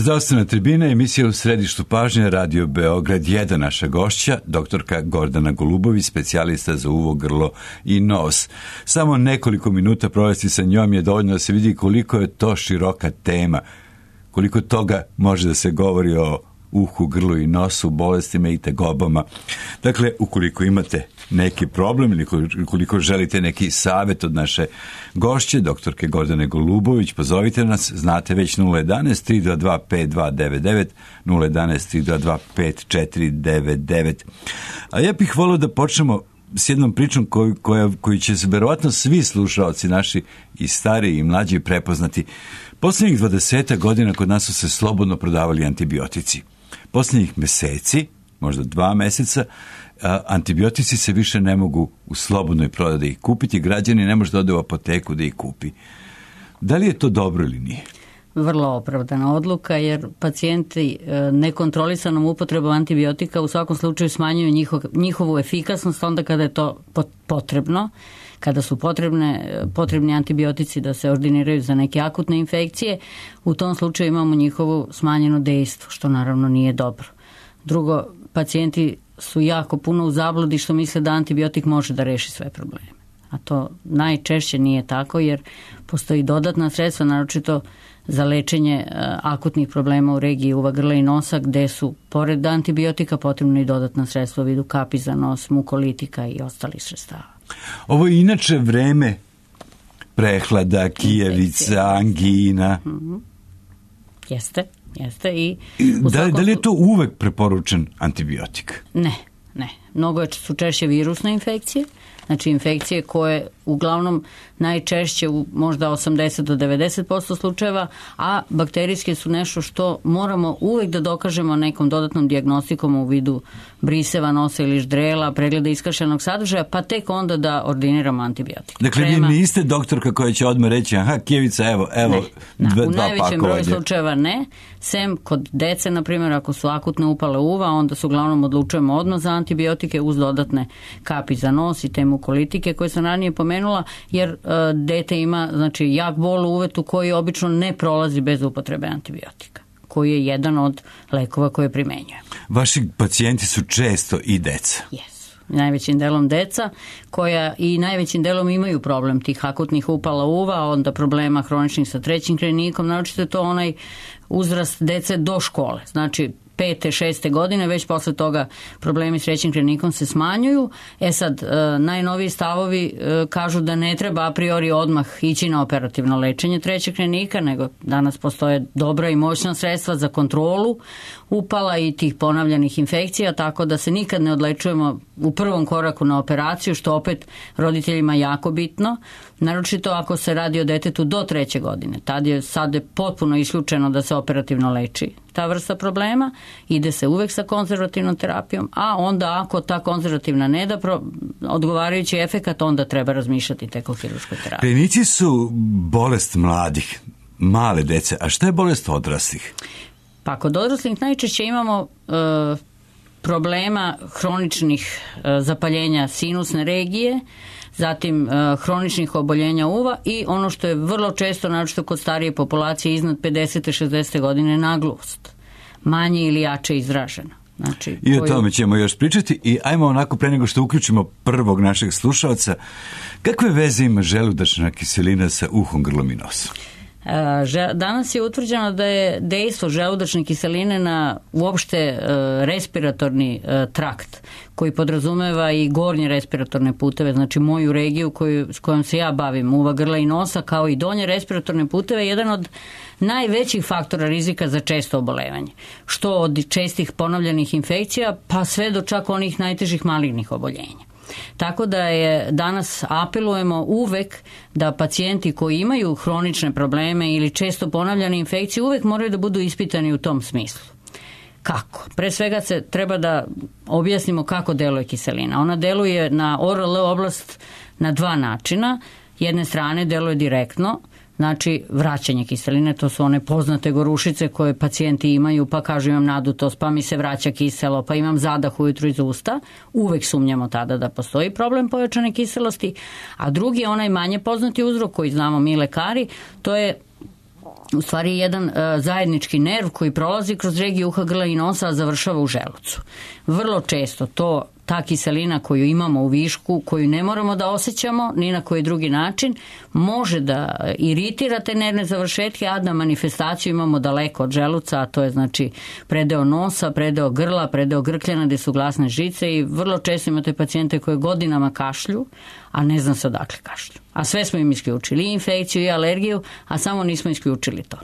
Zdravstvena tribina, emisija u središtu pažnje, Radio Beograd 1, naša gošća, doktorka Gordana Golubović, specijalista za uvo, grlo i nos. Samo nekoliko minuta provesti sa njom je dovoljno da se vidi koliko je to široka tema, koliko toga može da se govori o uhu, grlu i nosu, bolestima i tegobama. Dakle, ukoliko imate neki problem ili ukoliko želite neki savjet od naše gošće, doktorke Gordane Golubović, pozovite nas, znate već 011-322-5299, 011-322-5499. A ja bih volio da počnemo s jednom pričom koju će se verovatno svi slušaoci naši i stariji i mlađi prepoznati. Posljednjih 20 godina kod nas su se slobodno prodavali antibiotici. Posljednjih meseci, možda 2 meseca, antibiotici se više ne mogu u slobodnoj prodaji da ih kupiti, građani ne može da ode u apoteku da ih kupi. Da li je to dobro ili nije? Vrlo opravdana odluka, jer pacijenti nekontrolisanom upotrebom antibiotika u svakom slučaju smanjuju njihovu efikasnost onda kada je to potrebno, kada su potrebni antibiotici da se ordiniraju za neke akutne infekcije. U tom slučaju imamo njihovo smanjeno dejstvo, što naravno nije dobro. Drugo, pacijenti su jako puno u zabludi što misle da antibiotik može da reši sve probleme. A to najčešće nije tako, jer postoji dodatna sredstva, naročito za lečenje akutnih problema u regiji uva, grla i nosa, gde su pored antibiotika potrebno i dodatna sredstva u vidu kapi za nos, mukolitika i ostalih sredstava. Ovo je inače vreme prehlada, kijevica, angina. Jeste. I da li je to uvek preporučen antibiotik? Ne. Mnogo su češće virusne infekcije, znači infekcije koje uglavnom najčešće u možda 80 do 90% slučajeva, a bakterijske su nešto što moramo uvek da dokažemo nekom dodatnom dijagnostikom u vidu briseva nosa ili ždrela, pregleda iskašenog sadržaja, pa tek onda da ordiniramo antibiotik. Dakle, vi niste doktorka koja će odmah reći, kijevica, evo, dva pakovanja. U najvećem broju slučajeva ne, sem kod dece, na primjer, ako su akutne upale uva, onda se uglavnom odlučujemo odmah za antibiotike uz dodatne kapi za nos i te mukolitike koje sam ranije pomenula, jer dete ima jak bol u uvetu koji obično ne prolazi bez upotrebe antibiotika, koji je jedan od lekova koje primenjuje. Vaši pacijenti su često i deca. Jesu. Najvećim delom deca koja i najvećim delom imaju problem tih akutnih upala uva, onda problema hroničnih sa trećim krajnikom, naročito je to onaj uzrast dece do škole. Znači 5. 6. godine, već posle toga problemi s trećim krajnikom se smanjuju. Sad, najnoviji stavovi kažu da ne treba a priori odmah ići na operativno lečenje trećeg krajnika, nego danas postoje dobra i moćna sredstva za kontrolu upala i tih ponavljanih infekcija, tako da se nikad ne odlečujemo u prvom koraku na operaciju, što opet roditeljima jako bitno, naročito ako se radi o detetu do 3. godine. Sad je potpuno isključeno da se operativno leči ta vrsta problema, ide se uvek sa konzervativnom terapijom, a onda ako ta konzervativna ne da odgovarajući efekat, onda treba razmišljati tek o hirurškoj terapiji. Krajnici su bolest mladih, male dece, a šta je bolest odraslih? Pa kod odraslih najčešće imamo problema hroničnih zapaljenja sinusne regije, zatim hroničnih oboljenja uva i ono što je vrlo često, naročito kod starije populacije iznad 50. 60. godine, nagluvost. Manje ili jače izražena. I o tome ćemo još pričati i ajmo onako pre nego što uključimo prvog našeg slušalca, kakve veze ima želudačna kiselina sa uhom, grlom i nosom? Danas je utvrđeno da je dejstvo želudačne kiseline na uopšte respiratorni trakt koji podrazumeva i gornje respiratorne puteve, znači moju regiju s kojom se ja bavim, uva, grla i nosa, kao i donje respiratorne puteve, jedan od najvećih faktora rizika za često obolevanje. Što od čestih ponovljenih infekcija pa sve do čak onih najtežih malignih oboljenja. Tako da danas apelujemo uvek da pacijenti koji imaju hronične probleme ili često ponavljane infekcije uvek moraju da budu ispitani u tom smislu. Kako? Pre svega se treba da objasnimo kako deluje kiselina. Ona deluje na ORL oblast na 2 načina. Jedne strane deluje direktno, znači vraćanje kiseline, to su one poznate gorušice koje pacijenti imaju, pa kažu imam nadutost, pa mi se vraća kiselo, pa imam zadah ujutru iz usta. Uvek sumnjamo tada da postoji problem pojačane kiselosti. A drugi je onaj manje poznati uzrok koji znamo mi lekari, to je u stvari jedan zajednički nerv koji prolazi kroz regiju uha, grla i nosa, a završava u želucu. Vrlo često ta kiselina koju imamo u višku, koju ne moramo da osjećamo ni na koji drugi način, može da iritira te nervne završetke, a da manifestaciju imamo daleko od želuca, a to je znači predeo nosa, predeo grla, predeo grkljana gde su glasne žice i vrlo često imate pacijente koje godinama kašlju, a ne znam se odakle kašlju. A sve smo im isključili, i infekciju i alergiju, a samo nismo isključili to.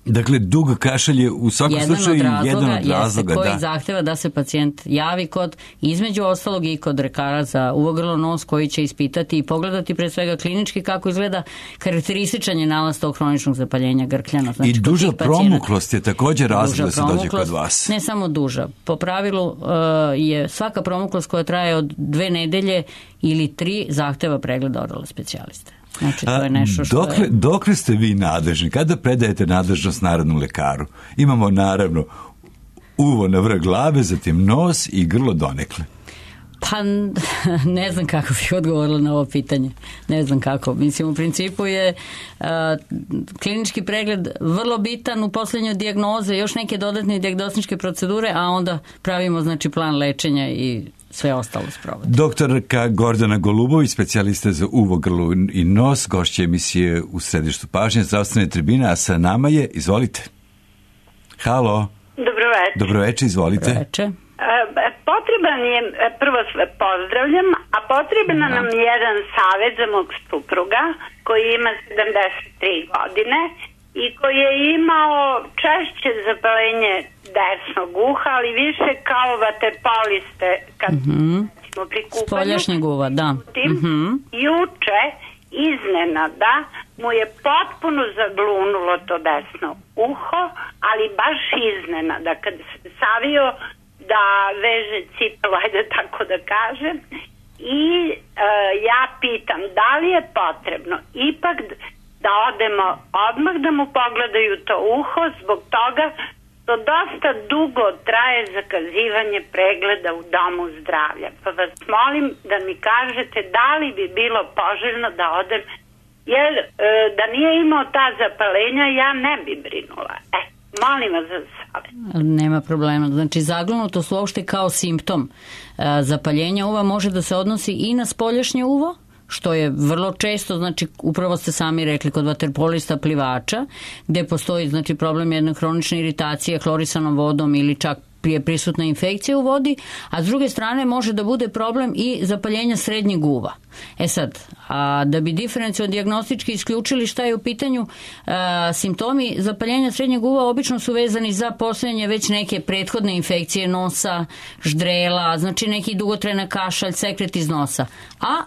Dakle, dug kašalj je u svakom slučaju jedan od razloga. Koji zahteva da se pacijent javi kod, između ostalog i kod lekara za uvo, grlo, nos, koji će ispitati i pogledati pre svega klinički kako izgleda karakterističan je nalaz tog hroničnog zapaljenja grkljana. Znači, i duža promuklost je također razlog da se dođe kod vas. Ne samo duža. Po pravilu je svaka promuklost koja traje od 2 nedelje ili 3 zahteva pregleda oralne specijaliste. Znači, to je nešto što dokle ste vi nadležni? Kada predajete nadležnost narodnom lekaru? Imamo naravno uvo na vrh glave, zatim nos i grlo donekle. Pa ne znam kako bih odgovorila na ovo pitanje. Ne znam kako. Mislim, u principu je klinički pregled vrlo bitan u posljednjoj dijagnoze, još neke dodatne dijagnostičke procedure, a onda pravimo znači plan lečenja i sve ostalo sprovodi. Doktorka Gordana Golubović, specijalista za uvo, grlo i nos, gošća emisije U središtu pažnje zdravstvene tribine, a sa nama je, izvolite. Halo. Dobroveče. Dobroveče, izvolite. Dobroveče. Potreban je, prvo sve pozdravljam, a potreban nam je jedan savjet za mog supruga koji ima 73 godine i koji je imao češće zapaljenje desnog uha, ali više kao vaterpoliste kad smo pri kupanju. Spoljašnjeg uva, da. Juče iznenada mu je potpuno zaglunulo to desno uho, ali baš iznenada kad se savio da veže cipelu, ajde tako da kažem, i ja pitam da li je potrebno ipak da odemo odmah da mu pogledaju to uho, zbog toga to dosta dugo traje zakazivanje pregleda u domu zdravlja. Pa vas molim da mi kažete da li bi bilo poželjno da odem, jer da nije imao ta zapalenja ja ne bi brinula. Molim vas za savjet. Nema problema. Znači, zaglunutost uopšte kao simptom zapaljenja uva može da se odnosi i na spoljašnje uvo, što je vrlo često, znači upravo ste sami rekli kod vaterpolista plivača, gde postoji znači problem jedne hronične iritacije hlorisanom vodom ili čak je prisutna infekcija u vodi, a s druge strane može da bude problem i zapaljenja srednjeg uva. Sad, da bi diferencijalno dijagnostički isključili šta je u pitanju, simptomi zapaljenja srednjeg uva obično su vezani za postojanje već neke prethodne infekcije nosa, ždrela, znači neki dugotrajna kašalj, sekret iz nosa. A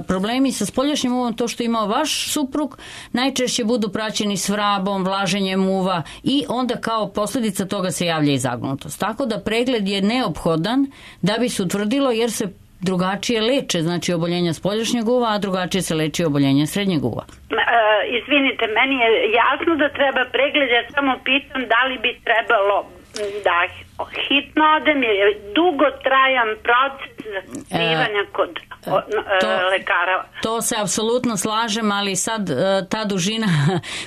problemi sa spoljašnjim uvom, to što imao vaš suprug, najčešće budu praćeni s vrabom, vlaženjem uva i onda kao posljedica toga se javlja i zagnutost. Tako da pregled je neophodan da bi se utvrdilo, jer se drugačije leče, znači oboljenja spoljašnjeg uva, a drugačije se leči oboljenja srednjeg uva. Izvinite, meni je jasno da treba pregled, ja samo pitam da li bi trebalo da hitno odem, jer je dugo trajan proces zakazivanja kod lekara. To se apsolutno slažem, ali sad ta dužina,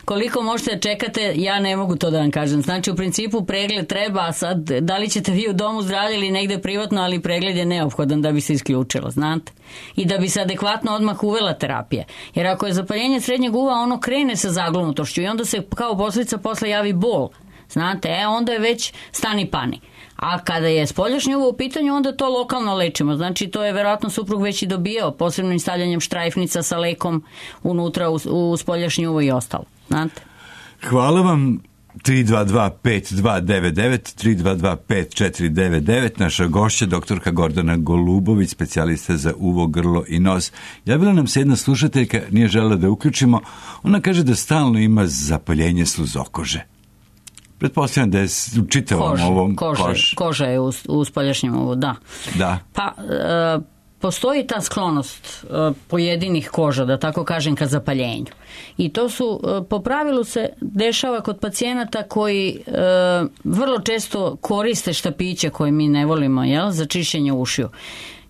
koliko možete čekate, ja ne mogu to da vam kažem. Znači, u principu pregled treba, a sad da li ćete vi u domu zdravlja ili negde privatno, ali pregled je neophodan da bi se isključilo, znate? I da bi se adekvatno odmah uvela terapija. Jer ako je zapaljenje srednjeg uva, ono krene sa zaglunutošću i onda se kao posljedica posle javi bol. Znate, onda je već stani pani. A kada je spoljašnje uvo u pitanju, onda to lokalno lečimo. Znači, to je verovatno suprug već i dobijao posebnim stavljanjem štrajfnica sa lekom unutra u spoljašnje uvo i ostalo. Znate? Hvala vam. 322-5299, 322-5499, naša gošća, doktorka Gordana Golubović, specijalista za uvo, grlo i nos. Javila nam se jedna slušateljka, nije želela da uključimo. Ona kaže da stalno ima zapaljenje sluzokože. Pretpostavljam da je u čitavom ovom koži. Koža je u spoljašnjem uvu, da. Pa, postoji ta sklonost pojedinih koža, da tako kažem, ka zapaljenju. I to su, po pravilu se dešava kod pacijenata koji vrlo često koriste štapiće koje mi ne volimo, za čišćenje ušiju.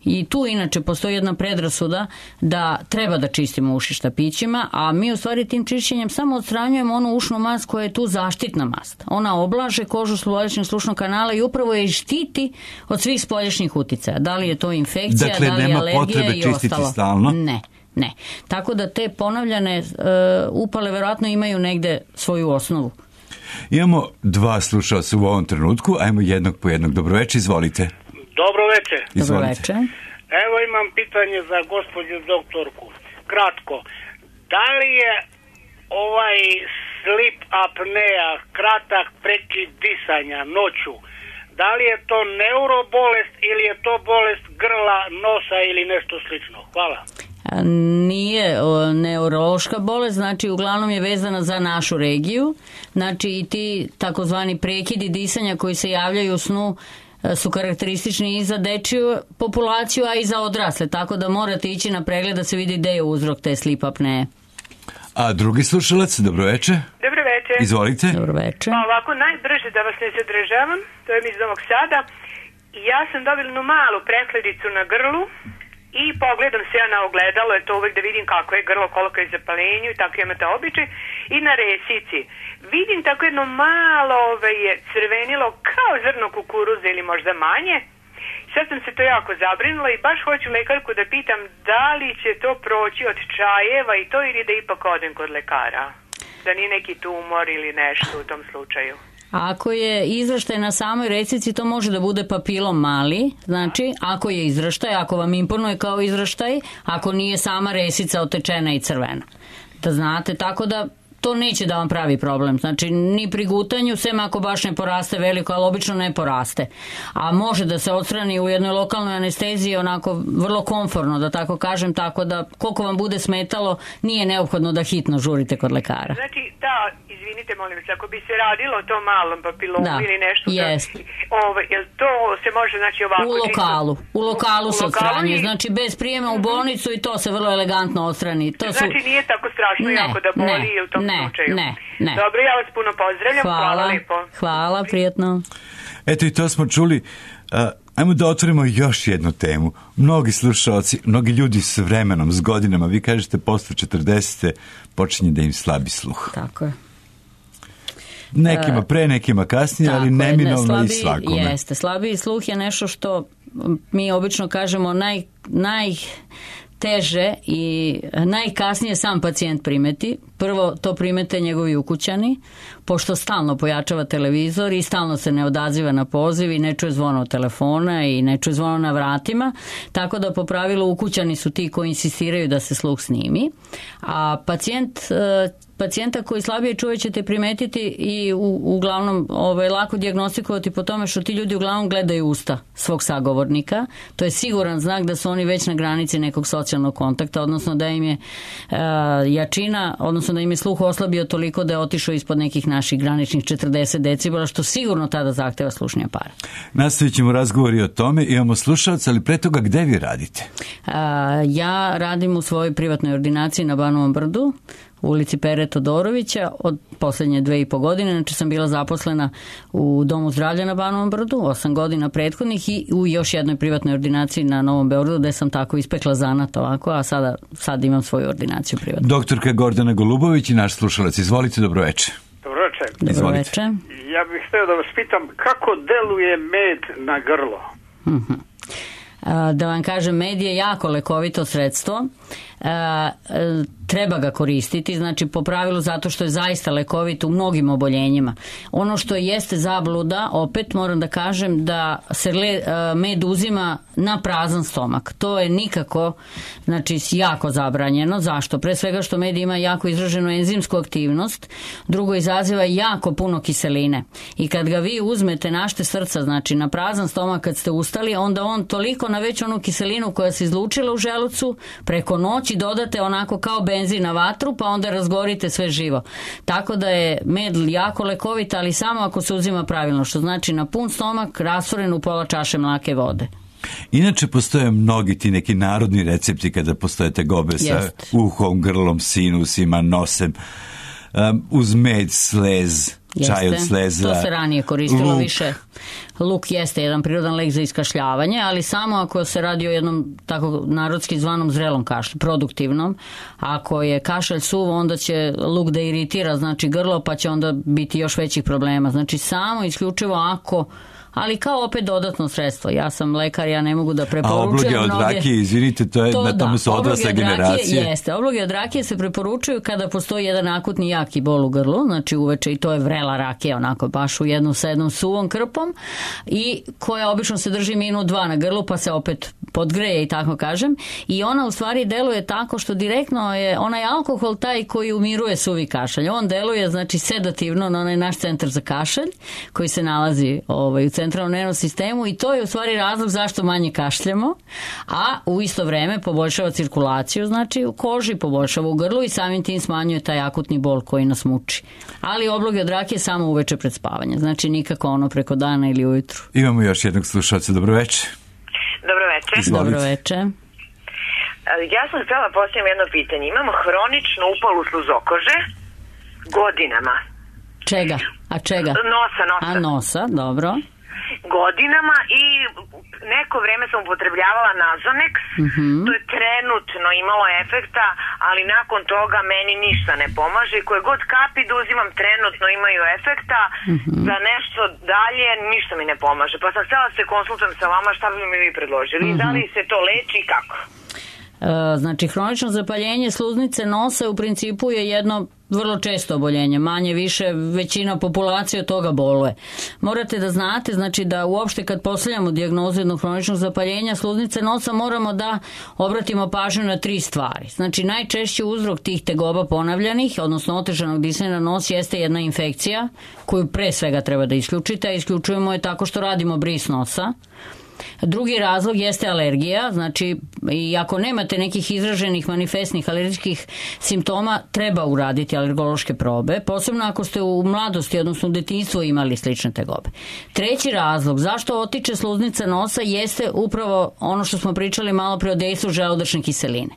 I tu inače postoji jedna predrasuda da treba da čistimo uši štapićima, a mi u stvari tim čišćenjem samo odstranjujemo onu ušnu mast koja je tu zaštitna mast. Ona oblaže kožu spoljašnjeg slušnog kanala i upravo je štiti od svih spoljašnjih uticaja. Da li je to infekcija, dakle, da li je alergija i ostalo. Dakle, nema potrebe čistiti stalno? Ne. Tako da te ponovljane upale verovatno imaju negde svoju osnovu. Imamo 2 slušalca u ovom trenutku, ajmo jednog po jednog. Dobroveče, izvolite. Dobroveče. Dobroveče. Evo imam pitanje za gospođu doktorku. Kratko, da li je ovaj sleep apnea, kratak prekid disanja noću, da li je to neurobolest ili je to bolest grla, nosa ili nešto slično? Hvala. Nije neurološka bolest, znači uglavnom je vezana za našu regiju, znači i ti takozvani prekidi disanja koji se javljaju u snu su karakteristični i za dečiju populaciju, a i za odrasle, tako da morate ići na pregled da se vidi gde je uzrok te sleep apneje. A drugi slušalac, dobroveče. Dobroveče. Izvolite. Dobroveče. Pa ovako, najbrže da vas ne zadržavam, to je mi iz Novog Sada. Ja sam dobila jednu malu prehledicu na grlu i pogledam se ja na ogledalo, je to uvek da vidim kako je grlo, koliko je zapalenju i tako imate običaj. I na resici vidim tako jedno malo je crvenilo kao zrno kukuruza ili možda manje. Sad sam se to jako zabrinula i baš hoću lekarku da pitam da li će to proći od čajeva i to ili da ipak odem kod lekara. Da nije neki tumor ili nešto u tom slučaju. Ako je izraštaj na samoj resici, to može da bude papilom mali, znači ako je izraštaj, ako vam imponuje kao izraštaj, ako nije sama resica otečena i crvena. Da znate, tako da to neće da vam pravi problem. Znači, ni pri gutanju, sem ako baš ne poraste veliko, ali obično ne poraste. A može da se odstrani u jednoj lokalnoj anesteziji onako vrlo komforno, da tako kažem, tako da koliko vam bude smetalo, nije neophodno da hitno žurite kod lekara. Znači, da, izvinite, molim vas, ako bi se radilo o tom malom papilomu ili nešto, jest. Jel to se može, znači, ovako U lokalu se odstranjuje, znači bez prijema u bolnicu i to se vrlo elegantno odstrani. Znači, nije tako strašno jako da boli u tom slučaju. Ne. Dobro, ja vas puno pozdravljam. Hvala lepo. Hvala, prijatno. Eto i to smo čuli. Ajmo da otvorimo još jednu temu. Mnogi slušalci, mnogi ljudi s vremenom, s godinama, vi kažete posle 40. počinje da im slabi sluh. Tako je. Nekima pre, nekima kasnije, ali neminovno i svakome. Jeste, slabiji sluh je nešto što mi obično kažemo najteže i najkasnije sam pacijent primeti. Prvo to primete njegovi ukućani, pošto stalno pojačava televizor i stalno se ne odaziva na poziv i ne čuje zvono telefona i ne čuje zvono na vratima, tako da po pravilu ukućani su ti koji insistiraju da se sluh snimi, a pacijenta koji slabije čuje ćete primetiti i uglavnom lako dijagnostikovati po tome što ti ljudi uglavnom gledaju usta svog sagovornika. To je siguran znak da su oni već na granici nekog socijalnog kontakta, odnosno da im je jačina, odnosno da im je sluh oslabio toliko da je otišao ispod nekih naših graničnih 40 decibela, što sigurno tada zahteva slušni aparat. Nastavit ćemo razgovori o tome. Imamo slušalca, ali pre toga gde vi radite? Ja radim u svojoj privatnoj ordinaciji na Banovom Brdu, u ulici Pere Todorovića od poslednje 2,5 godine, znači sam bila zaposlena u Domu zdravlja na Banovom Brdu 8 godina prethodnih i u još jednoj privatnoj ordinaciji na Novom Beogradu gde sam tako ispekla zanat ovako, a sad imam svoju ordinaciju privatnu. Doktorka Gordana Golubović i naš slušalac, izvolite, dobroveče. Dobroveče. Ja bih htio da vas pitam kako deluje med na grlo? Da vam kažem, med je jako lekovito sredstvo, treba ga koristiti, znači po pravilu zato što je zaista lekovit u mnogim oboljenjima. Ono što jeste zabluda, opet moram da kažem da se med uzima na prazan stomak. To je nikako, znači jako zabranjeno. Zašto? Pre svega što med ima jako izraženu enzimsku aktivnost, drugo izaziva jako puno kiseline. I kad ga vi uzmete našte srca, znači na prazan stomak kad ste ustali, onda on toliko na već onu kiselinu koja se izlučila u želucu, preko noći dodate onako kao benzin na vatru, pa onda razgorite sve živo. Tako da je med jako lekovit, ali samo ako se uzima pravilno, što znači na pun stomak, rastvoren u pola čaše mlake vode. Inače postoje mnogi ti neki narodni recepti kada postoje tegobe sa uhom, grlom, sinusima, nosem. uz med, slez, čaj od sleza. To se ranije koristilo više. Luk jeste jedan prirodan lek za iskašljavanje, ali samo ako se radi o jednom tako narodski zvanom zrelom kašlju, produktivnom. Ako je kašalj suv, onda će luk da iritira, znači grlo, pa će onda biti još većih problema. Znači samo isključivo ako, ali kao opet dodatno sredstvo. Ja sam lekar, ja ne mogu da preporučujem. A obloge od rakije, izvinite, na tome su odrasle generacije. Jeste, obloge od rakije se preporučuju kada postoji jedan akutni jaki bol u grlu, znači uveče, i to je vrela rakija, onako baš u jednu sa jednom suvom krpom, i koja obično se drži minut 2 na grlu, pa se opet podgreje, i tako kažem, i ona u stvari deluje tako što direktno je onaj alkohol taj koji umiruje suvi kašalj. On deluje, znači, sedativno na onaj naš centar za kašalj koji se nalazi u centralnom nervnom sistemu, i to je u stvari razlog zašto manje kašljamo, a u isto vreme poboljšava cirkulaciju, znači u koži, poboljšava u grlu i samim tim smanjuje taj akutni bol koji nas muči. Ali obloge od rakije samo uveče pred spavanje, znači nikako ono preko dana ili ujutru. Imamo još jednog slušalca, dobroveče. Dobroveče. Dobroveče. Ja sam htjela postaviti jedno pitanje. Imamo hroničnu upalu sluzokože godinama. Čega? A čega? Nosa. A nosa, dobro. Godinama, i neko vreme sam upotrebljavala Nazonex. To je trenutno imalo efekta, ali nakon toga meni ništa ne pomaže. Koje god kapi da uzimam trenutno imaju efekta, za nešto dalje ništa mi ne pomaže. Pa sam htjela da se konsultujem sa vama, šta bi mi vi predložili, da li se to leči i kako? Znači, hronično zapaljenje sluznice nosa u principu je jedno vrlo često oboljenje, manje više većina populacije od toga boluje. Morate da znate, znači, da uopšte kad postavljamo dijagnozu jednog hroničnog zapaljenja sluznice nosa moramo da obratimo pažnju na 3 stvari. Znači, najčešći uzrok tih tegoba ponavljanih, odnosno otežanog disanja na nos, jeste jedna infekcija koju pre svega treba da isključite, a isključujemo je tako što radimo bris nosa. Drugi razlog jeste alergija, znači, i ako nemate nekih izraženih manifestnih alergijskih simptoma, treba uraditi alergološke probe, posebno ako ste u mladosti, odnosno u detinjstvu imali slične tegobe. Treći razlog zašto otiče sluznica nosa jeste upravo ono što smo pričali malo pre o dejstvu želudačne kiseline.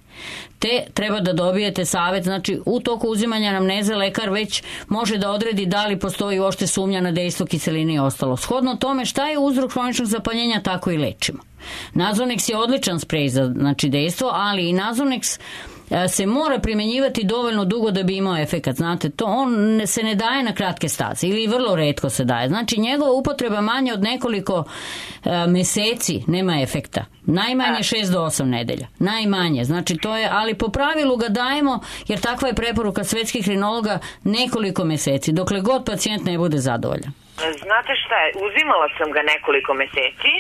Te treba da dobijete savjet, znači u toku uzimanja anamneze lekar već može da odredi da li postoji uopšte sumnja na dejstvo kiseline i ostalo. Shodno tome šta je uzrok hroničnog zapaljenja, tako i lečimo. Nazonex je odličan sprej za, znači, dejstvo, ali i Nazonex se mora primjenjivati dovoljno dugo da bi imao efekat. Znate, to on se ne daje na kratke staze ili vrlo retko se daje. Znači, njegova upotreba manje od nekoliko meseci nema efekta. Najmanje 6 do 8 nedelja. Najmanje. Znači, to je, ali po pravilu ga dajemo, jer takva je preporuka svetskih rinologa, nekoliko meseci, dokle god pacijent ne bude zadovoljan. Znate šta je, uzimala sam ga nekoliko meseci,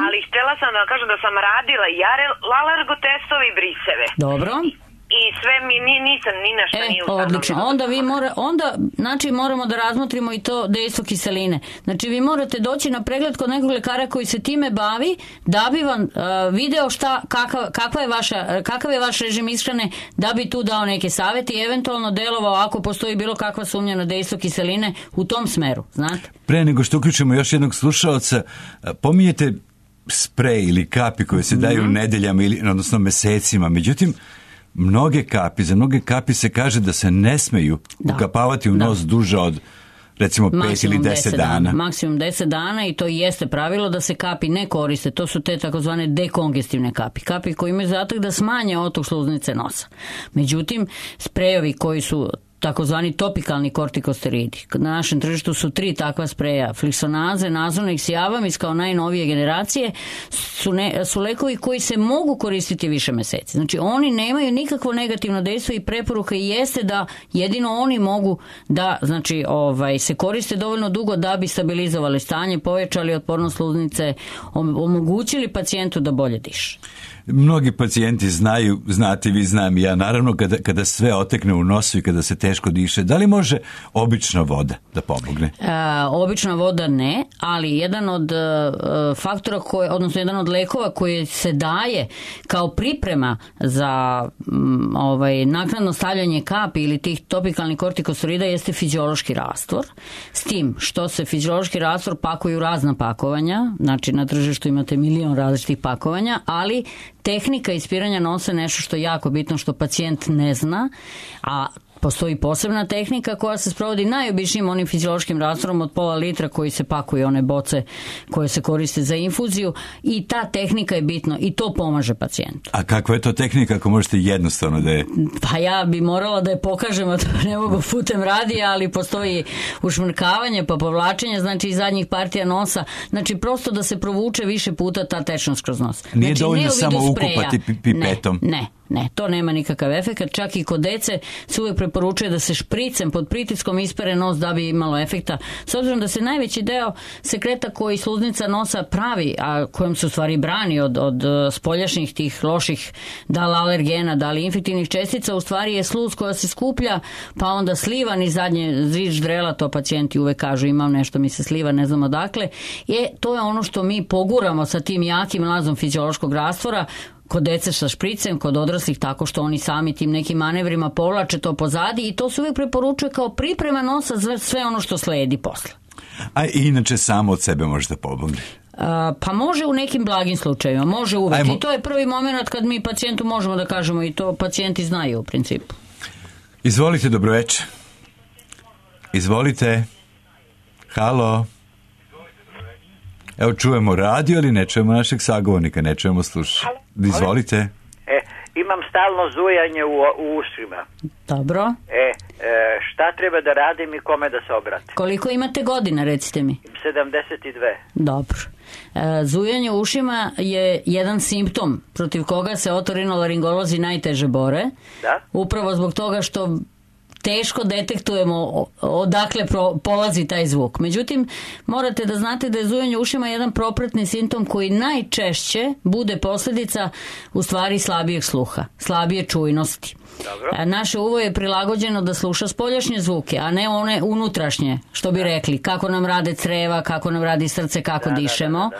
ali htjela sam da vam kažem da sam radila i alergotestove i briseve. Dobro. I sve mi nisam ni na šta nije ustanovljeno. Odlično. Onda znači moramo da razmotrimo i to dejstvo kiseline. Znači vi morate doći na pregled kod nekog lekara koji se time bavi, da bi vam video kakav je vaš režim ishrane, da bi tu dao neke savjeti i eventualno delovao ako postoji bilo kakva sumnja na dejstvo kiseline u tom smeru, znate. Pre nego što uključimo još jednog slušaoca, pominjete sprej ili kapi koje se daju nedeljama ili odnosno mesecima, međutim za mnoge kapi se kaže da se ne smeju ukapavati u nos duže od recimo 5 ili 10 dana. Maksimum 10 dana, i to i jeste pravilo da se kapi ne koriste. To su te takozvane dekongestivne kapi. Kapi koji imaju zadatak da smanje otok sluznice nosa. Međutim, sprejovi koji su takozvani topikalni kortikosteroidi. Na našem tržištu su 3 takva spreja. Flixonaze, Nazonex i Avamis kao najnovije generacije su lekovi koji se mogu koristiti više meseci. Znači oni nemaju nikakvo negativno dejstvo i preporuka jeste da jedino oni mogu da, znači, se koriste dovoljno dugo da bi stabilizovali stanje, povećali otpornost sluznice, omogućili pacijentu da bolje diše. Mnogi pacijenti znate vi, znam i ja, naravno kada sve otekne u nosu i kada se teško diše, da li može obična voda da pomogne? Obična voda ne, ali jedan od faktora, odnosno jedan od lekova koji se daje kao priprema za naknadno stavljanje kapi ili tih topikalnih kortikosteroida jeste fiziološki rastvor. S tim što se fiziološki rastvor pakuju razna pakovanja, znači na tržištu imate milion različitih pakovanja, ali tehnika ispiranja nosa je nešto što je jako bitno, što pacijent ne zna, a Postoji posebna tehnika koja se sprovodi najobičnijim onim fiziološkim rastvorom od pola litra koji se pakuje one boce koje se koriste za infuziju i ta tehnika je bitna i to pomaže pacijentu. A kakva je to tehnika ako možete jednostavno da je? Pa ja bi morala da je pokažem, a to ne mogu putem radija, ali postoji ušmrkavanje pa povlačenje, znači iz zadnjih partija nosa, znači prosto da se provuče više puta ta tečnost kroz nos. Nije znači, dovoljno samo ukupati pipetom. Ne, to nema nikakav efekt. Čak i kod dece se uvijek preporučuje da se špricem pod pritiskom ispere nos da bi imalo efekta. S obzirom da se najveći deo sekreta koji sluznica nosa pravi, a kojom se u stvari brani od spoljašnjih tih loših da li alergena, da li infektivnih čestica, u stvari je sluz koja se skuplja, pa onda sliva ni zadnje zvič drela, to pacijenti uvek kažu imam nešto mi se sliva, ne znam odakle. To je ono što mi poguramo sa tim jakim lazom fiziološkog rastvora, kod dece sa špricem, kod odraslih tako što oni sami tim nekim manevrima povlače to pozadi i to se uvijek preporučuje kao priprema nosa za sve ono što sledi posle. A inače samo od sebe može da pomogne? Pa može u nekim blagim slučajevima, može uvijek. I to je prvi moment kad mi pacijentu možemo da kažemo i to pacijenti znaju u principu. Izvolite, dobroveče. Izvolite. Halo. Evo čujemo radio, ali ne čujemo našeg sagovornika, ne čujemo slušati. Izvolite. Imam stalno zujanje u ušima. Dobro. Šta treba da radim i kome da se obratim? Koliko imate godina, recite mi? 72. Dobro. Zujanje u ušima je jedan simptom protiv koga se otorinolaringolozi najteže bore. Da? Upravo zbog toga što teško detektujemo odakle polazi taj zvuk. Međutim, morate da znate da je zujanje u ušima jedan propratni simptom koji najčešće bude posljedica u stvari slabijeg sluha, slabije čujnosti. Dobro. Naše uvo je prilagođeno da sluša spoljašnje zvuke, a ne one unutrašnje, što bi rekli, kako nam rade creva, kako nam radi srce, kako dišemo. Da.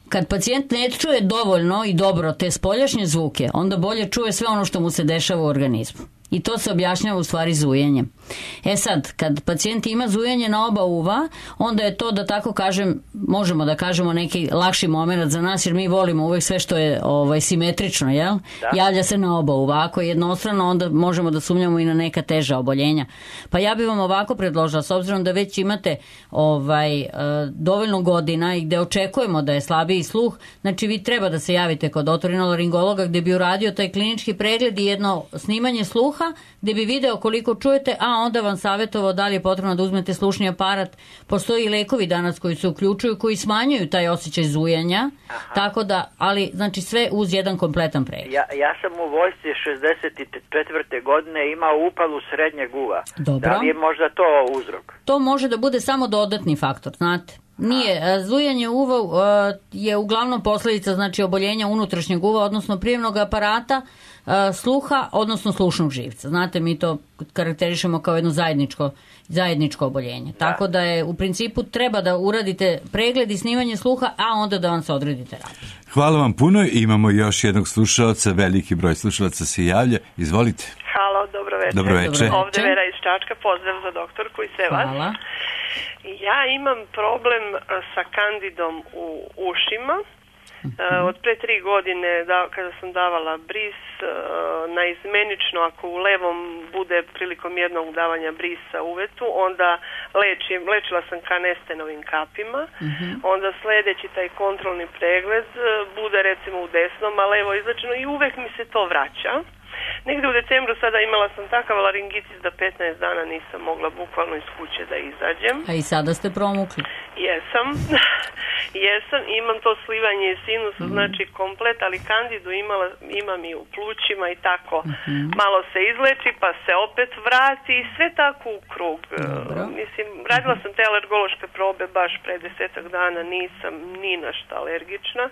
Kad pacijent ne čuje dovoljno i dobro te spoljašnje zvuke, onda bolje čuje sve ono što mu se dešava u organizmu. I to se objašnjava u stvari zujenjem. Sad, kad pacijent ima zujanje na oba uva, onda je to, da tako kažem, možemo da kažemo neki lakši moment za nas, jer mi volimo uvijek sve što je simetrično, jel? Da. Javlja se na oba uva. Ako je jednostrano, onda možemo da sumnjamo i na neka teža oboljenja. Pa ja bih vam ovako predložila, s obzirom da već imate dovoljno godina i gde očekujemo da je slabiji sluh, znači vi treba da se javite kod otorinolaringologa gde bi uradio taj klinički pregled i jedno snimanje sluha, gde bi video koliko čujete, a onda vam savjetovao da li je potrebno da uzmete slušni aparat. Postoji i lekovi danas koji se uključuju, koji smanjuju taj osjećaj zujanja. Aha. Tako da, ali znači sve uz jedan kompletan pregled. Ja sam u vojsci 64. godine imao upalu srednjeg uva. Dobro. Da li je možda to uzrok? To može da bude samo dodatni faktor, znate. Nije, zujanje uva je uglavnom posljedica znači oboljenja unutrašnjeg uva, odnosno prijemnog aparata, sluha, odnosno slušnog živca. Znate, mi to karakterišemo kao jedno zajedničko oboljenje. Da. Tako da je u principu treba da uradite pregled i snimanje sluha, a onda da vam se odredi terapija. Hvala vam puno. Imamo još jednog slušalca, veliki broj slušalaca se javlja. Izvolite. Halo, dobro večer. Ovdje Vera iz Čačka, pozdrav za doktorku i sve vas. Hvala. Ja imam problem sa kandidom u ušima. Od pre 3 godine kada sam davala bris naizmenično, ako u levom bude prilikom jednog davanja brisa uvetu, onda lečila sam kanestenovim kapima, onda sledeći taj kontrolni pregled bude recimo u desnom, a levo izlečeno i uvek mi se to vraća. Negde u decembru sada imala sam takav laringitis da 15 dana nisam mogla bukvalno iz kuće da izađem. A i sada ste promukli? Jesam, imam to slivanje iz sinusa, znači komplet, ali kandidu imam i u plućima i tako. Malo se izleči pa se opet vrati i sve tako u krug. Mislim, radila sam te alergološke probe baš pre 10 dana, nisam ni na šta alergična.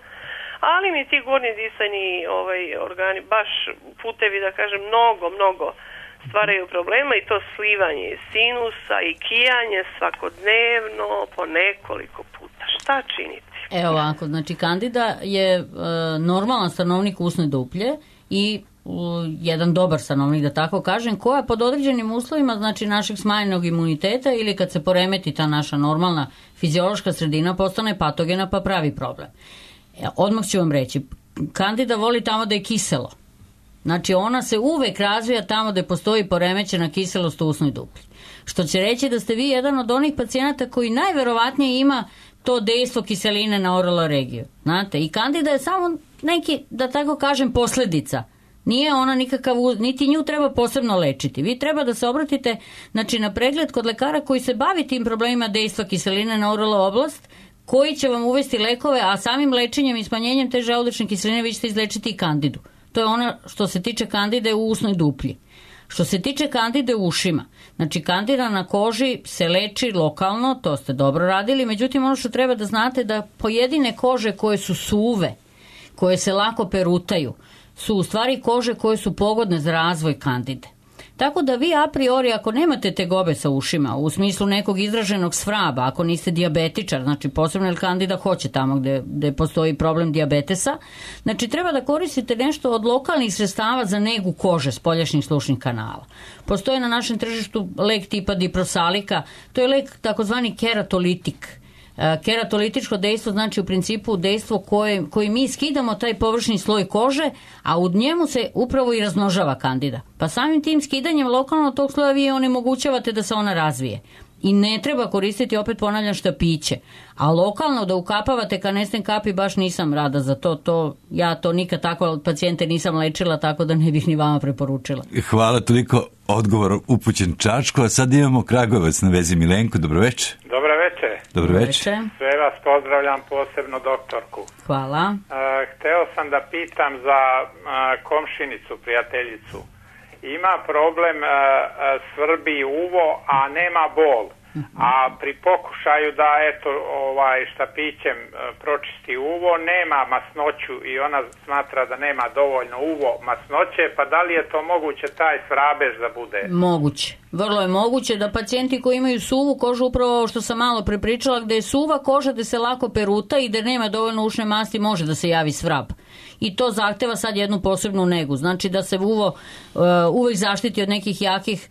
Ali mi ti gornji disajni organi, baš putevi, da kažem, mnogo stvaraju problema i to slivanje sinusa i kijanje svakodnevno po nekoliko puta. Šta činiti? Evo ovako, znači kandida je normalan stanovnik usne duplje i jedan dobar stanovnik, da tako kažem, koja pod određenim uslovima, znači našeg smanjenog imuniteta ili kad se poremeti ta naša normalna fiziološka sredina, postane patogena pa pravi problem. Odmah ću vam reći, kandida voli tamo da je kiselo. Znači ona se uvek razvija tamo gde postoji poremećena kiselost u usnoj duplji. Što će reći da ste vi jedan od onih pacijenata koji najverovatnije ima to dejstvo kiseline na oraloregiju. Znate, i kandida je samo neki, da tako kažem, posledica. Nije ona nikakav, niti nju treba posebno lečiti. Vi treba da se obratite, znači, na pregled kod lekara koji se bavi tim problemima dejstva kiseline na oralo oblast, koji će vam uvesti lekove, a samim lečenjem i smanjenjem te želudačne kiseline vi ćete izlečiti i kandidu. To je ono što se tiče kandide u usnoj duplji. Što se tiče kandide u ušima, znači kandida na koži se leči lokalno, to ste dobro radili, međutim ono što treba da znate da pojedine kože koje su suve, koje se lako perutaju, su u stvari kože koje su pogodne za razvoj kandide. Tako da vi a priori, ako nemate tegobe sa ušima, u smislu nekog izraženog svraba, ako niste dijabetičar, znači posebno jer kandida hoće tamo gde postoji problem dijabetesa, znači treba da koristite nešto od lokalnih sredstava za negu kože spoljašnjih slušnih kanala. Postoji na našem tržištu lek tipa diprosalika, to je lek takozvani keratolitik. Keratolitičko dejstvo znači u principu dejstvo koji mi skidamo taj površni sloj kože, a u njemu se upravo i razmnožava kandida. Pa samim tim skidanjem lokalno tog sloja vi onemogućavate da se ona razvije. I ne treba koristiti, opet ponavljam, štapiće. A lokalno da ukapavate kanesten kapi, baš nisam rada za to. Ja to nikad tako pacijente nisam lečila, tako da ne bih ni vama preporučila. Hvala, toliko odgovor upućen Čačku, a sad imamo Kragujevac na vezi. Milenko, dobroveče. Dobroveče. Sve vas pozdravljam, posebno doktorku. Hvala. Hteo sam da pitam za komšinicu, prijateljicu. Ima problem, svrbi uvo, a nema bol. A pri pokušaju da štapićem pročisti uvo, nema masnoću i ona smatra da nema dovoljno uvo masnoće, pa da li je to moguće taj srabež da bude? Moguće. Vrlo je moguće da pacijenti koji imaju suvu kožu, upravo što sam malo prepričala, gde je suva koža, gde se lako peruta i gde nema dovoljno ušne masti, može da se javi svrab. I to zahteva sad jednu posebnu negu. Znači da se uvo uvek zaštiti od nekih jakih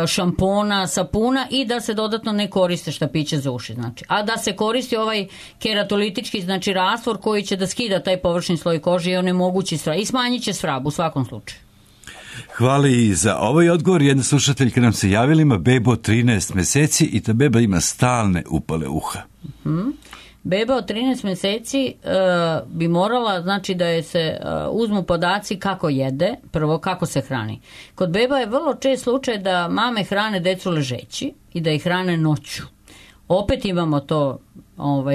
šampona, sapuna i da se dodatno ne koriste štapiće za uši. Znači. A da se koristi ovaj keratolitički, znači rastvor koji će da skida taj površni sloj kože i onemogući svrab. I smanjit će svrab u svakom slučaju. Hvala i za ovaj odgovor. Jedna slušateljka nam se javila, ima bebu od 13 meseci i ta beba ima stalne upale uha. Beba od 13 meseci bi morala, znači da je se uzmu podaci kako jede, prvo kako se hrani. Kod beba je vrlo čest slučaj da mame hrane decu ležeći i da ih hrane noću. Opet imamo to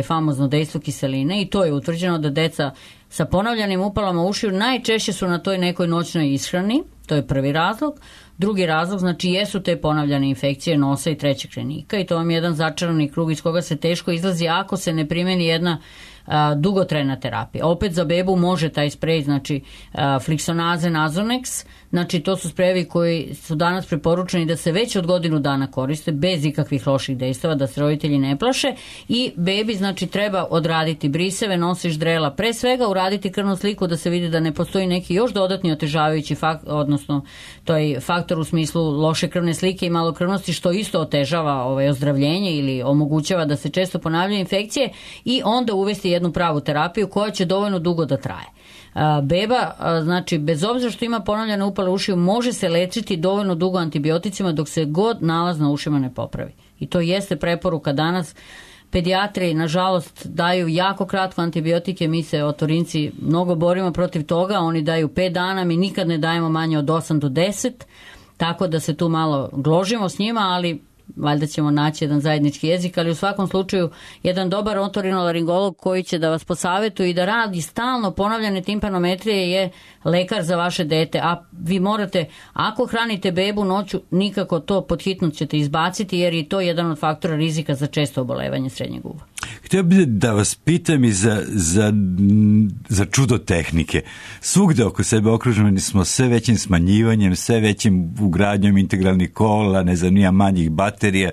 famozno dejstvo kiseline i to je utvrđeno da deca sa ponavljanim upalama ušiju najčešće su na toj nekoj noćnoj ishrani, to je prvi razlog. Drugi razlog, znači jesu te ponavljane infekcije nosa i trećeg krenika i to vam je jedan začarani krug iz koga se teško izlazi ako se ne primeni jedna dugotrajna terapija. Opet za bebu može taj sprej, znači Flixonaze, Nasonex, znači to su sprejevi koji su danas preporučeni da se već od godinu dana koriste bez ikakvih loših dejstava, da se roditelji ne plaše i bebi znači treba odraditi briseve, nosiš drela, pre svega uraditi krvnu sliku da se vidi da ne postoji neki još dodatni otežavajući faktor, odnosno to je faktor u smislu loše krvne slike i malokrvnosti što isto otežava ozdravljenje ili omogućava da se često ponavljaju infekcije i onda uvesti jednu pravu terapiju koja će dovoljno dugo da traje. Beba, znači bez obzira što ima ponavljane upale ušiju, može se lečiti dovoljno dugo antibioticima dok se god nalaz na ušima ne popravi. I to jeste preporuka danas. Pedijatri, nažalost, daju jako kratko antibiotike, mi se otorinci mnogo borimo protiv toga, oni daju 5 dana, mi nikad ne dajemo manje od 8 do 10, tako da se tu malo gložimo s njima, ali valjda ćemo naći jedan zajednički jezik, ali u svakom slučaju jedan dobar otorinolaringolog koji će da vas posavetuje i da radi stalno ponavljane timpanometrije je lekar za vaše dete, a vi morate, ako hranite bebu noću, nikako to pod hitno ćete izbaciti jer je to jedan od faktora rizika za često obolevanje srednjeg uva. Htio bih da vas pitam i za čudo tehnike. Svugde oko sebe okruženi smo sve većim smanjivanjem, sve većim ugradnjom integralnih kola, ne znam, nija manjih baterija,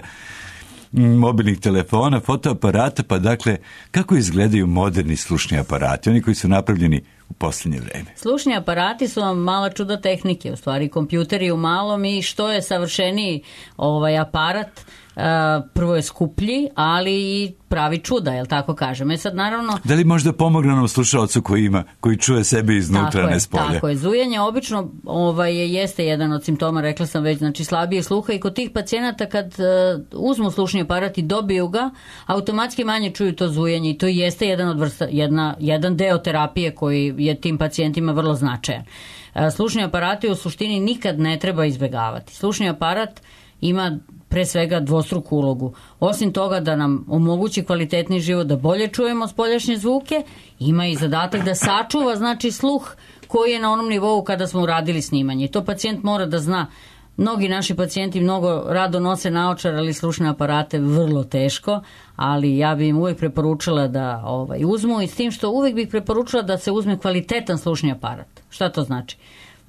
mobilnih telefona, fotoaparata, pa dakle, kako izgledaju moderni slušni aparati? Oni koji su napravljeni u posljednje vreme? Slušni aparati su vam mala čuda tehnike, u stvari kompjuteri u malom, i što je savršeniji aparat, prvo je skuplji, ali i pravi čuda, jel tako kažem. Sad naravno... Da li možda pomogne onom slušalcu koji čuje sebe iznutra, ne s polja? Tako je. Zujanje obično jeste jedan od simptoma, rekla sam već, znači slabije sluha, i kod tih pacijenata kad uzmu slušni aparat i dobiju ga, automatski manje čuju to zujanje, i to jeste jedan deo terapije koji je tim pacijentima vrlo značajan. Slušni aparati u suštini nikad ne treba izbjegavati. Slušni aparat ima pre svega dvostruku ulogu. Osim toga da nam omogući kvalitetni život, da bolje čujemo spoljašnje zvuke, ima i zadatak da sačuva, znači, sluh koji je na onom nivou kada smo uradili snimanje. I to pacijent mora da zna. Mnogi naši pacijenti mnogo rado nose naočar, ali slušne aparate vrlo teško, ali ja bih im uvijek preporučila da uzmu, i s tim što uvijek bih preporučila da se uzme kvalitetan slušni aparat. Šta to znači?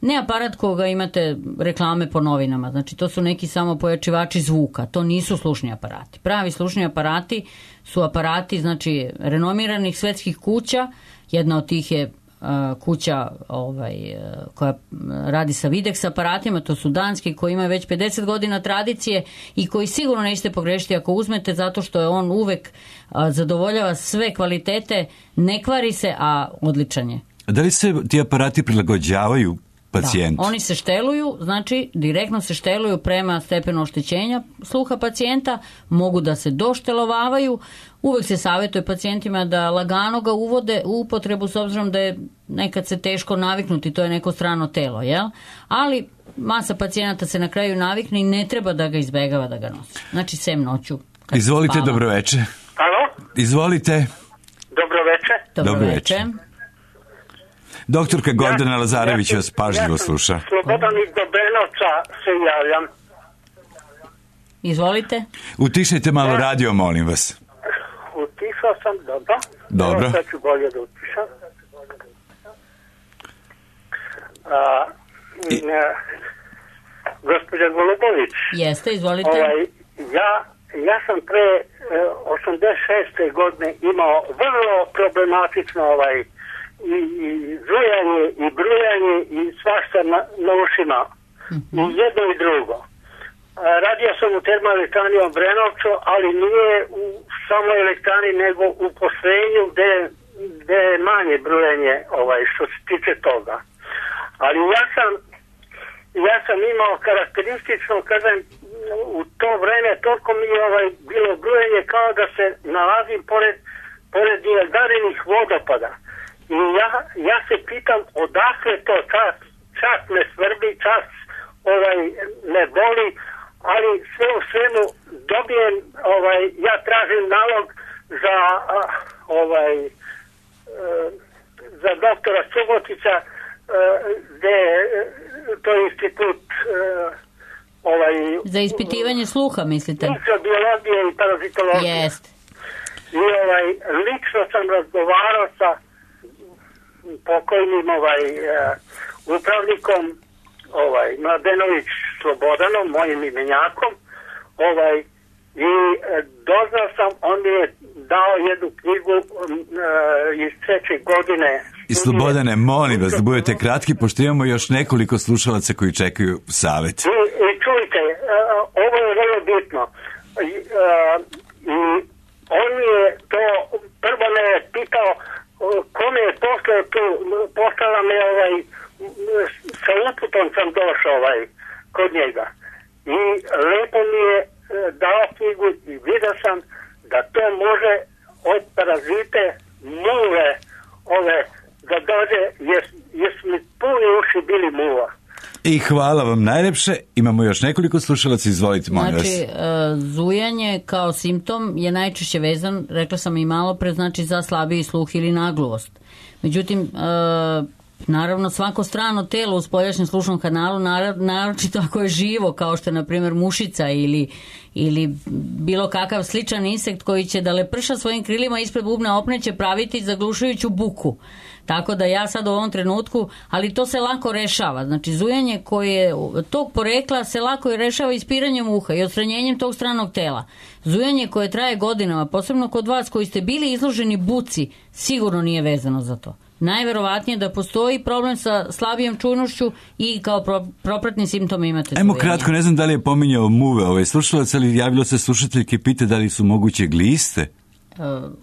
Ne aparat koga imate reklame po novinama, znači to su neki samo pojačivači zvuka, to nisu slušni aparati. Pravi slušni aparati su aparati, znači, renomiranih svetskih kuća. Jedna od tih je kuća koja radi sa Videx aparatima, to su danski, koji imaju već 50 godina tradicije i koji sigurno nećete pogrešiti ako uzmete, zato što je on uvek zadovoljava sve kvalitete, ne kvari se, a odličan je. Da li se ti aparati prilagođavaju pacijentu? Da, oni se šteluju, znači direktno se šteluju prema stepenu oštećenja sluha pacijenta, mogu da se doštelovavaju. Uvek se savjetuje pacijentima da lagano ga uvode u upotrebu, s obzirom da je nekad se teško naviknuti, to je neko strano telo, jel? Ali masa pacijenata se na kraju navikne i ne treba da ga izbegava da ga nosi. Znači, sem noću. Izvolite, dobroveče. Alo? Izvolite. Dobroveče. Dobroveče. Doktorka Gordana Lazarević vas pažljivo sluša. Slobodan iz Dobrenovca se javljam. Izvolite. Utišajte malo radio, molim vas. Utišao sam, dobro. Dobro. Sad ću bolje da utišam. Gospođa Golubović. Jeste, izvolite. Ja sam pre 86. godine imao vrlo problematično i zujanje i brujanje i svašta na ušima. I jedno i drugo. Radio sam u termoelektrani u Obrenovcu, ali nije u samoj elektrani, nego u postrojenju gde je manje brujanje što se tiče toga. Ali ja sam imao karakteristično, kažem, u to vreme toliko mi je bilo brujanje kao da se nalazim pored Niagarinih vodopada. I ja se pitam odakle to, čas me svrbi, čas me boli, ali sve u svemu dobijem, ja tražim nalog za doktora Subotića, gde to je institut za ispitivanje sluha, mislite? Mikrobiologije i parazitologije. Jeste. I lično sam razgovarao sa pokojnim upravnikom Mladenović Slobodanom, mojim imenjakom, i doznao sam, on mi je dao jednu knjigu iz 3. godine. I Slobodane, molim vas da budete kratki, pošto imamo još nekoliko slušalaca koji čekaju savjet. I čujte, ovo je vrlo bitno. I on mi je to, prvo me je pitao kome je poslao tu, poslala me sa uputom sam došao kod njega. I lepo mi je dao knjigu i vidio sam da to može od parazite muve da dođe, jer su mi puni uši bili muva. I hvala vam najlepše. Imamo još nekoliko slušalaca, izvolite, molim vas. Znači, zujanje kao simptom je najčešće vezan, rekla sam i malo pre, znači za slabiji sluh ili nagluvost. Međutim, naravno svako strano telo u spoljašnjem slušnom kanalu, naročito ako je živo, kao što je na primjer mušica ili bilo kakav sličan insekt koji će da leprša svojim krilima ispred bubna opne, će praviti zaglušujuću buku. Tako da ja sad u ovom trenutku, ali to se lako rešava. Znači zujanje koje tog porekla se lako i rešava ispiranjem uha i odstranjenjem tog stranog tela. Zujanje koje traje godinama, posebno kod vas koji ste bili izloženi buci, sigurno nije vezano za to. najverovatnije da postoji problem sa slabijom čujnošću i kao propratni simptom imate zujenje. Ajmo kratko, ne znam da li je pominjao muve slušalac, ali javilo se slušateljke, pita da li su moguće gliste?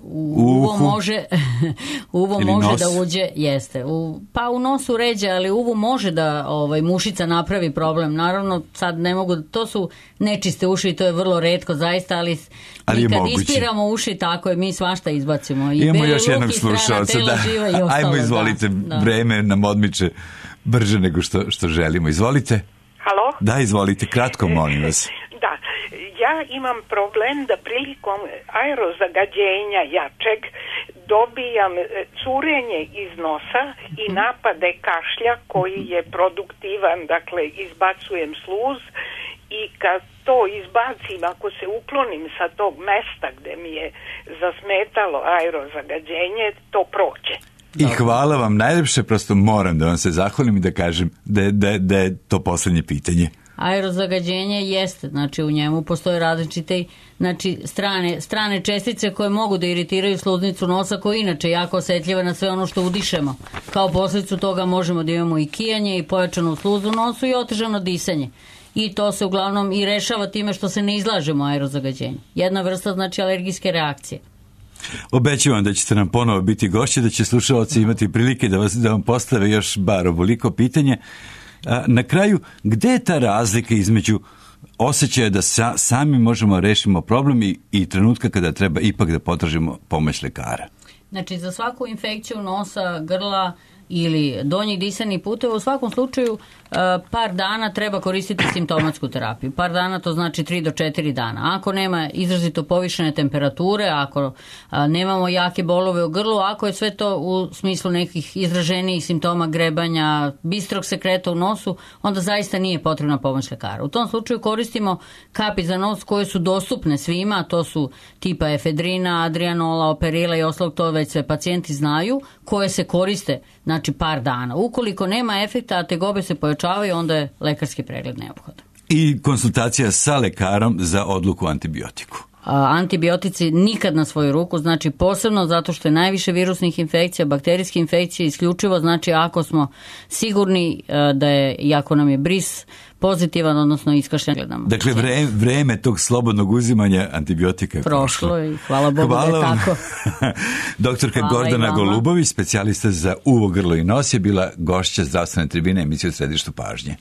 Uvo može da uđe, jeste. Pa u nosu ređe, ali uvu može da mušica napravi problem. Naravno, sad ne mogu, to su nečiste uši i to je vrlo retko zaista, ali mi kad ispiramo uši, tako je, mi svašta izbacimo. Imamo još jednog slušalca, ajmo, izvolite, vreme nam odmiče brže nego što želimo. Izvolite. Halo? Da, izvolite, kratko, molim vas. Da, ja imam problem da prilikom aerozagađenja jačeg dobijam curenje iz nosa i napade kašlja koji je produktivan, dakle izbacujem sluz i kad to izbacim, ako se uklonim sa tog mesta gde mi je zasmetalo aerozagađenje, to prođe. I hvala vam najlepše, prosto moram da vam se zahvalim i da kažem da je to poslednje pitanje. Aerozagađenje jeste, znači u njemu postoje različite strane čestice koje mogu da iritiraju sluznicu nosa, koja je inače jako osetljiva na sve ono što udišemo. Kao posljedicu toga možemo da imamo i kijanje i pojačanu sluzu u nosu i otežano disanje. I to se uglavnom i rešava time što se ne izlažemo aerozagađenju. Jedna vrsta znači alergijske reakcije. Obećavam da ćete nam ponovo biti gošće, da će slušalci imati prilike da vam postave još bar ovoliko pitanje. Na kraju, gde je ta razlika između osjećaja da sami možemo rešimo problem i trenutka kada treba ipak da potražimo pomoć lekara? Znači, za svaku infekciju nosa, grla ili donjih disanih puteva, u svakom slučaju par dana treba koristiti simptomatsku terapiju. Par dana to znači 3 do 4 dana. Ako nema izrazito povišene temperature, ako nemamo jake bolove u grlu, ako je sve to u smislu nekih izraženijih simptoma grebanja, bistrog sekreta u nosu, onda zaista nije potrebna pomoć lekara. U tom slučaju koristimo kapi za nos koje su dostupne svima, to su tipa efedrina, adrianola, operila i ostalog, to već sve pacijenti znaju, koje se koriste znači par dana. Ukoliko nema efekta, a tegobe se pojačavaju, onda je lekarski pregled neophodan. I konsultacija sa lekarom za odluku o antibiotiku. Antibiotici nikad na svoju ruku, znači posebno zato što je najviše virusnih infekcija, bakterijske infekcije, isključivo znači ako smo sigurni da je, i ako nam je bris pozitivan, odnosno iskašljan. Dakle, vreme tog slobodnog uzimanja antibiotika je prošlo i hvala Bogu da je tako. Doktorka Gordana Golubović, specijalista za uvo, grlo i nos, je bila gošća Zdravstvene tribine emisije U središtu pažnje.